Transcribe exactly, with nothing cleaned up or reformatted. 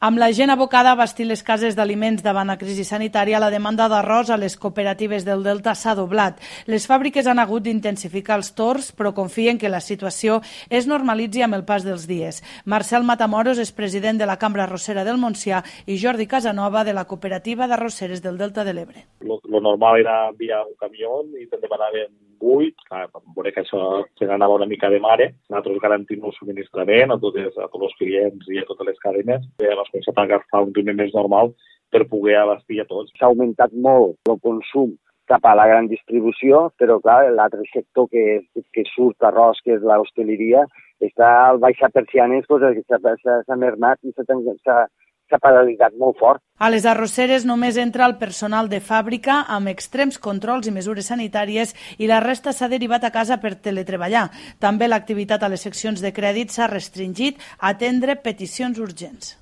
Amb la gent abocada a abastir les cases d'aliments davant la crisi sanitària, la demanda d'arròs a les cooperatives del Delta s'ha doblat. Les fàbriques han hagut d'intensificar els torns, però confien que la situació es normalitzi amb el pas dels dies. Marcel Matamoros és president de la Cambra Arrossera del Montsià i Jordi Casanova de la Cooperativa d'Arrosseres del Delta de l'Ebre. Lo, lo normal era enviar un camió i te'n demanaven vuit, clar, veure que això se n'anava una mica de mare. Nosaltres garantim el subministrament a tots, a tots els clients i a totes les cadenes. Les coses s'han d'agafar un ritme més normal per poder abastir a tots. S'ha augmentat molt el consum cap a la gran distribució, però clar, l'altre sector que, que surt arròs, que és l'hostaleria, està al baixar persianes, doncs, s'ha mermat i s'ha s'ha paralitzat molt fort. A les arrosseres només entra el personal de fàbrica amb extrems controls i mesures sanitàries i la resta s'ha derivat a casa per teletreballar. També l'activitat a les seccions de crèdit s'ha restringit a atendre peticions urgents.